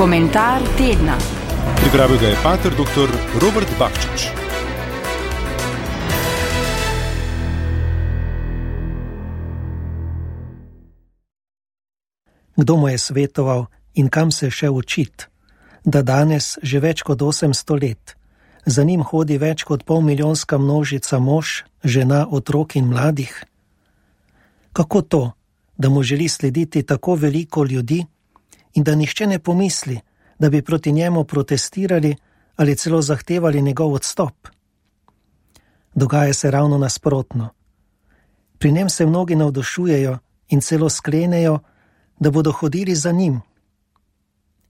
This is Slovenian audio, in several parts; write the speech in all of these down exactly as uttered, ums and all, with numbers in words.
Komentar tedna. Pripravil ga je pater doktor Robert Bakčič. Kdo mu je svetoval in kam se še učit, da danes že več kot osemsto let za njim hodi več kot polmilijonska množica mož, žena, otrok in mladih? Kako to, da mu želi slediti tako veliko ljudi in da nihče ne pomisli, da bi proti njemu protestirali ali celo zahtevali njegov odstop? Dogaja se ravno nasprotno. Pri njem se mnogi navdušujejo in celo sklenejo, da bodo hodili za njim.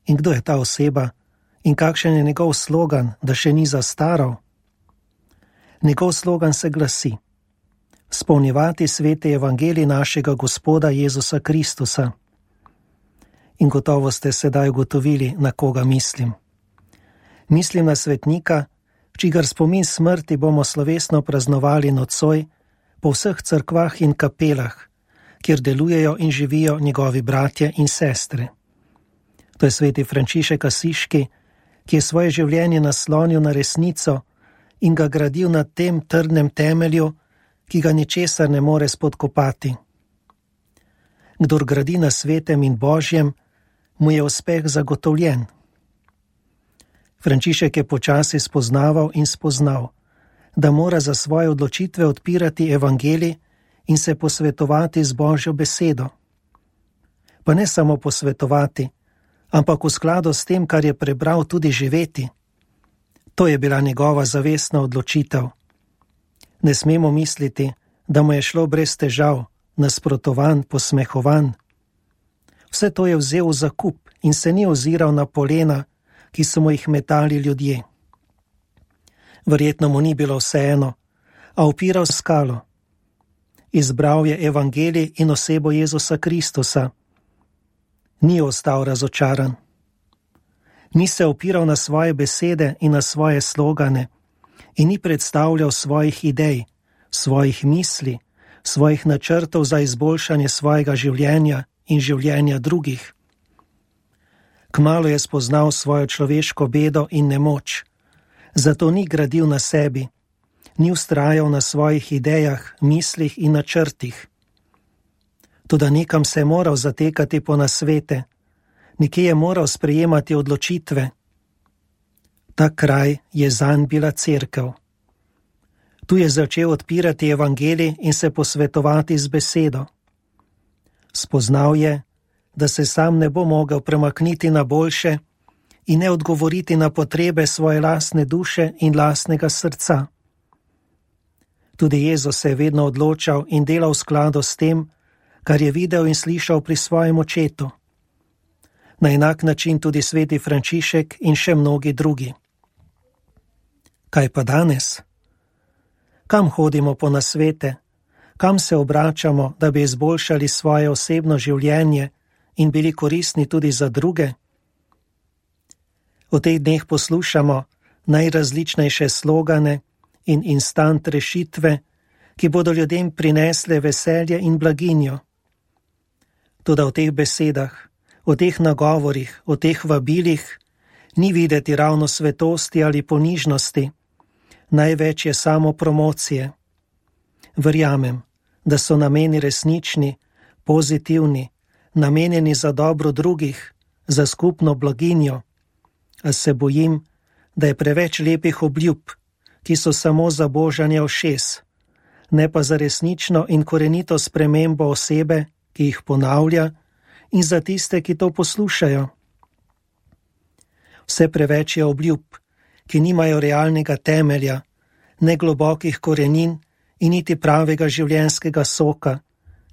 In kdo je ta oseba in kakšen je njegov slogan, da še ni zastaral? Njegov slogan se glasi: spolnjevati sveti evangelij našega Gospoda Jezusa Kristusa. In gotovo ste sedaj ugotovili, na koga mislim. Mislim na svetnika, čigar spomin smrti bomo slovesno praznovali nocoj po vseh cerkvah in kapelah, kjer delujejo in živijo njegovi bratje in sestre. To je sveti Frančišek Asiški, ki je svoje življenje naslonil na resnico in ga gradil na tem trdnem temelju, ki ga ničesar ne more spodkopati. Kdor gradi na svetem in božjem, mu je uspeh zagotovljen. Frančišek je počasi spoznaval in spoznal, da mora za svoje odločitve odpirati evangelij in se posvetovati z Božjo besedo. Pa ne samo posvetovati, ampak v skladu s tem, kar je prebral, tudi živeti. To je bila njegova zavestna odločitev. Ne smemo misliti, da mu je šlo brez težav, nasprotovan, posmehovan. Vse to je vzel v zakup in se ni oziral na polena, ki so mu jih metali ljudje. Verjetno mu ni bilo vseeno, a upiral skalo. Izbral je evangelij in osebo Jezusa Kristusa. Ni ostal razočaran. Ni se opiral na svoje besede in na svoje slogane in ni predstavljal svojih idej, svojih misli, svojih načrtov za izboljšanje svojega življenja in življenja drugih. Kmalu je spoznal svojo človeško bedo in nemoč, zato ni gradil na sebi, ni vztrajal na svojih idejah, mislih in načrtih. Toda nekam se je moral zatekati po nasvete, nekje je moral sprejemati odločitve. Ta kraj je zanj bila cerkev. Tu je začel odpirati evangelij in se posvetovati z besedo. Spoznal je, da se sam ne bo mogel premakniti na boljše in ne odgovoriti na potrebe svoje lastne duše in lastnega srca. Tudi Jezus se je vedno odločal in delal v skladu s tem, kar je videl in slišal pri svojem očetu. Na enak način tudi sveti Frančišek in še mnogi drugi. Kaj pa danes? Kam hodimo po nasvete? Kam se obračamo, da bi izboljšali svoje osebno življenje in bili koristni tudi za druge? V teh dneh poslušamo najrazličnejše slogane in instant rešitve, ki bodo ljudem prinesle veselje in blaginjo. Toda v teh besedah, v teh nagovorih, v teh vabilih ni videti ravno svetosti ali ponižnosti, največ je samo promocije. Verjamem, da so nameni resnični, pozitivni, namenjeni za dobro drugih, za skupno blaginjo, a se bojim, da je preveč lepih obljub, ki so samo za božanje ušes, ne pa za resnično in korenito spremembo osebe, ki jih ponavlja, in za tiste, ki to poslušajo. Vse preveč je obljub, ki nimajo realnega temelja, ne globokih korenin in niti pravega življenjskega soka,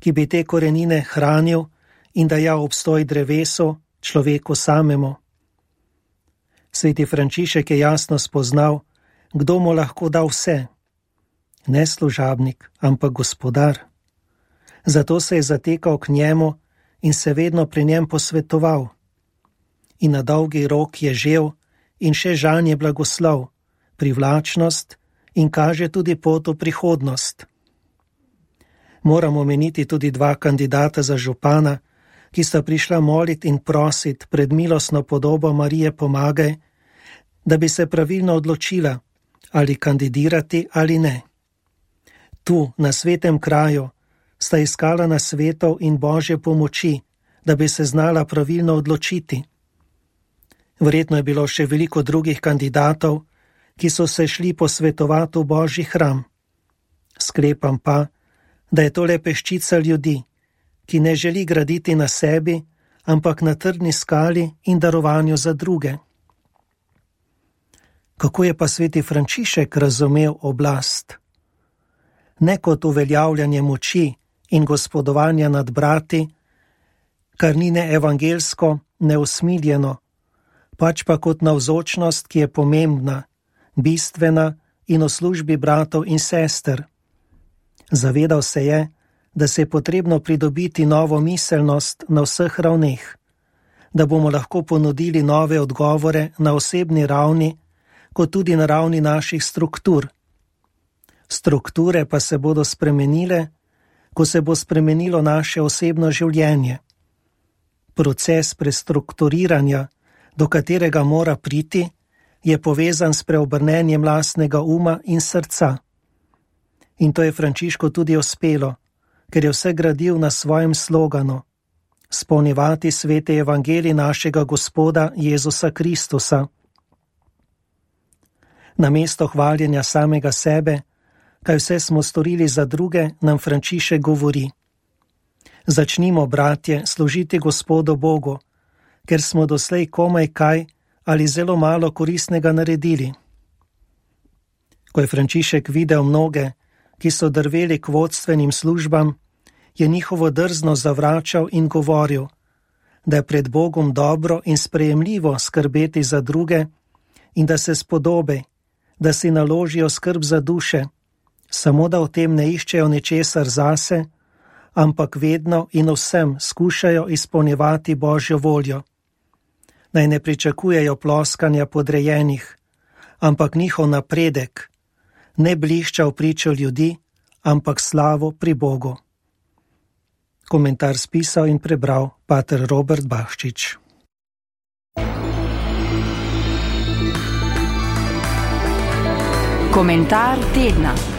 ki bi te korenine hranil in dajal obstoj drevesu, človeku samemu. Sveti Frančišek je jasno spoznal, kdo mu lahko da vse. Ne služabnik, ampak gospodar. Zato se je zatekal k njemu in se vedno pri njem posvetoval. In na dolgi rok je žel in še žanje blagoslov, privlačnost in kaže tudi pot v prihodnost. Moramo omeniti tudi dva kandidata za župana, ki sta prišla moliti in prositi pred milostno podobo Marije Pomagaj, da bi se pravilno odločila, ali kandidirati ali ne. Tu, na svetem kraju, sta iskala nasvetov in Božje pomoči, da bi se znala pravilno odločiti. Verjetno je bilo še veliko drugih kandidatov, ki so se šli posvetovati v Božji hram. Sklepam pa, da je to le peščica ljudi, ki ne želi graditi na sebi, ampak na trdni skali in darovanju za druge. Kako je pa sveti Frančišek razumel oblast? Ne kot uveljavljanje moči in gospodovanja nad brati, kar ni ne evangelsko, ne usmiljeno, pač pa kot navzočnost, ki je pomembna, bistvena in v službi bratov in sester. Zavedal se je, da se je potrebno pridobiti novo miselnost na vseh ravneh, da bomo lahko ponudili nove odgovore na osebni ravni, kot tudi na ravni naših struktur. Strukture pa se bodo spremenile, ko se bo spremenilo naše osebno življenje. Proces prestrukturiranja, do katerega mora priti, je povezan s preobrnenjem lastnega uma in srca. In to je Frančišku tudi uspelo, ker je vse gradil na svojem sloganu: spolnjevati sveti evangelij našega Gospoda Jezusa Kristusa. Namesto hvaljenja samega sebe, kaj vse smo storili za druge, nam Frančišek govori: začnimo, bratje, služiti Gospodu Bogu, ker smo doslej komaj kaj ali zelo malo koristnega naredili. Ko je Frančišek videl mnoge, ki so drveli k vodstvenim službam, je njihovo drzno zavračal in govoril, da je pred Bogom dobro in sprejemljivo skrbeti za druge in da se spodobi, da si naložijo skrb za duše, samo da v tem ne iščejo ničesar zase, ampak vedno in vsem skušajo izpolnjevati Božjo voljo. Naj ne pričakujejo ploskanja podrejenih, ampak njihov napredek ne blišča v pričo ljudi, ampak slavo pri Bogu. Komentar spisal in prebral pater Robert Bakšič. Komentar tedna.